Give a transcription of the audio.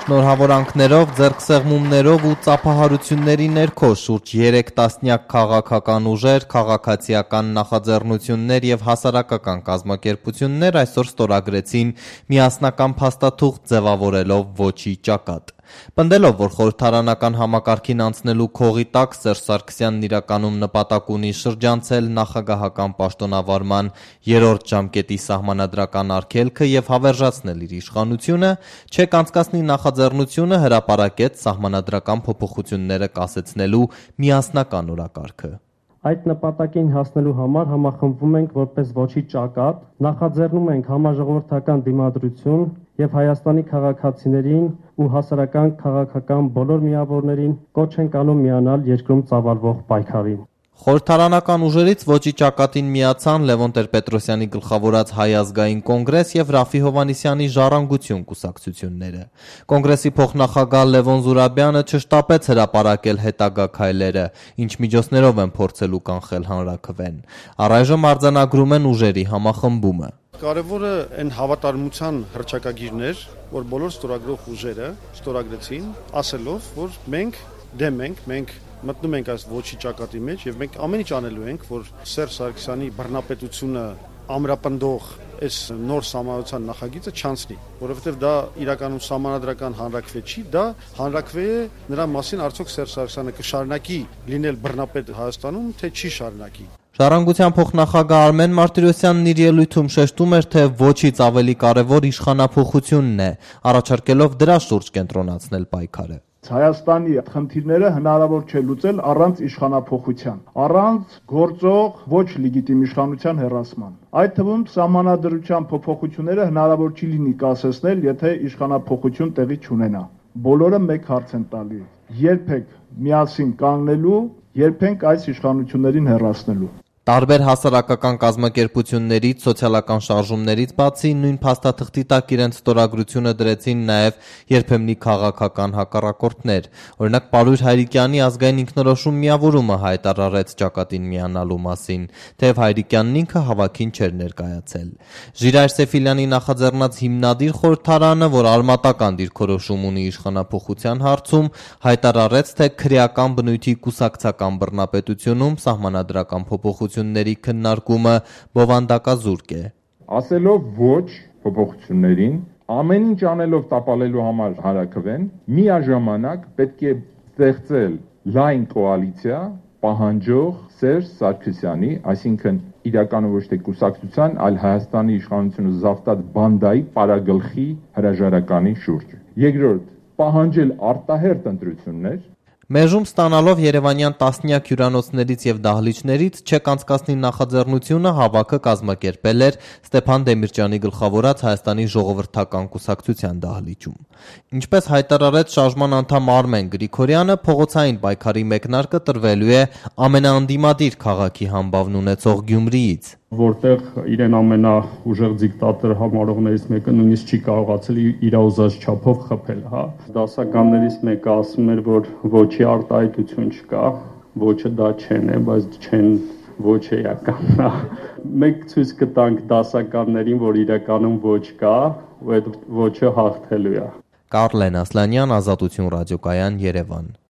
Շնորհավորանքներով, ձեռքսեղմումներով ու ծափահարությունների ներքո շուրջ 3 տասնյակ քաղաքական ուժեր, քաղաքացիական նախաձեռնություններ և հասարակական կազմակերպություններ այսօր ստորագրեցին միասնական փաստաթուղթ ձևավորելով «Ոչի ճակատ»։ Պնդելով, որ խորհրդարանական համակարգին անցնելու քողի տակ Սերժ Սարգսյանն իրականում նպատակ ունի շրջանցել նախագահական պաշտոնավարման 3-րդ ժամկետի սահմանադրական արգելքը և հավերժացնել իր իշխանությունը, ՉԵԿ անցկացնի նախաձեռնությունը հրապարակեց սահմանադրական փոփոխությունները կասեցնելու միասնական օրակարգը։ Այդ նպատակին հասնելու համար համախմբվում ենք որպես ոչի ճակատ, նախաձեռնում ենք համաժողովրդական դիմադրություն և Հայաստանի քաղաքացիներին ու հասարակական քաղաքական բոլոր միավորներին կոչ ենք անում միանալ երկրում ծավալվող պայքարին։ Խորհրդարանական ուժերից ոչի ճակատին միացան Լևոն Տեր-Պետրոսյանի գլխավորած Հայ ազգային կոնգրես և Ռաֆֆի Հովհաննիսյանի Ժառանգություն կուսակցությունները։ Կոնգրեսի փոխնախագահ Լևոն Զուրաբյանը չշտապեց հրապարակել հետագա քայլերը, ինչ միջոցներով են փորձելու կանխել հանրաքվեն։ Առայժմ արձանագրում են ուժերի համախմբումը։ Կարևորը այն հավատարմության հռչակագիրն էր, որ բոլոր ստորագրող ուժերը ստորագրեցին, ասելով, որ մենք դեմ ենք, մենք մտնում ենք այս ոչի ճակատի մեջ եւ մենք ամեն ինչ անելու ենք, որ Սերժ Սարգսյանի բռնապետությունը ամրապնդող այս նոր սահմանության նախագիծը չանցնի, որովհետեւ դա իրականում սահմանադրական հանրաքվե չի, դա հանրաքվե է նրա մասին արդյոք Սերժ Սարգսյանը կշարունակի լինել բռնապետ Հայաստանում, թե չի շարունակի։ Ժառանգության փոխնախագահ Արմեն Մարտիրոսյանն իր ելույթում շեշտում էր, թե ոչից ավելի կարևոր իշխանափոխությունն է, առաջարկելով դրա շուրջ կենտրոնացնել պայքարը։ Հայաստանի խնդիրները հնարավոր չէ լուծել առանց իշխանափոխության, առանց գործող ոչ լեգիտիմ իշխանության հեռացման։ Այդ թվում սահմանադրության փոփոխությունները հնարավոր չի լինի կասեցնել, եթե իշխանափոխություն տեղի չունենա։ Բոլորը մեկ հարց են տալի. երբեք միասին կանգնելու, երբեք այս իշխանություններին հեռացնելու։ Տարբեր հասարակական կազմակերպություններից, սոցիալական շարժումներից բացի նույն փաստաթղթի տակ իրենց ստորագրությունը դրեցին նաև երբեմնի քաղաքական հակառակորդներ։ Օրինակ Պարույր Հայրիկյանի ազգային ինքնորոշում միավորումը հայտարարեց ճակատին միանալու մասին, թեև Հայրիկյանն ինքը հավաքին չէր ներկայացել։ Ժիրայր Սեֆիլյանի նախաձեռնած հիմնադիր խորհրդարանը, որ արմատական դիրքորոշում ունի իշխանափոխության հարցում, հայտարարեց, թե քրեական բնույթի կուսակցական բռնապետությունում սահմանադրական փոփոխությունների քննարկումը բովանդակազուրկ է։ Ասելով ոչ փոփոխություններին, ամեն ինչ անելով տապալելու համար հանրաքվեն, միաժամանակ պետք է ստեղծել լայն կոալիցիա պահանջող Սերժ Սարգսյանի, այսինքն իրականում ոչ թե կուսակցության, այլ Հայաստանի իշխանությունը զավթած բանդայի պարագլխի հրաժարականի շուրջ։ Երկրորդ, պահանջել արտահերթ ընտրություններ։ Մեժում ստանալով երևանյան տասնյակ հյուրանոցներից և դահլիճներից ՉԵԿ անցկացնի նախաձեռնությունը հավաքը կազմակերպել էր Ստեփան Դեմիրճյանի գլխավորած Հայաստանի ժողովրդական կուսակցության դահլիճում։ Ինչպես հայտարարեց շարժման անդամ Արմեն Գրիգորյանը, փողոցային պայքարի մեկնարկը տրվելու է ամենաանդիմադիր քաղաքի համբավն ունեցող Գյումրիից, որտեղ իրեն ամենաուժեղ դիկտատոր համարողներից մեկը նույնիսկ չի կարողացել իր ուզած չափով խփել, Դասականներից մեկը ասում էր, որ ոչի արտահայտություն չկա, ոչը դա չեն է, բայց չեն ոչ էականն է։ Մենք ցույց կտանք դասականներին, որ իրականում ոչ կա, ու այդ ոչը հաղթելու է։ Կարլեն Ասլանյան, Ազատություն ռադիոկայան, Երևան։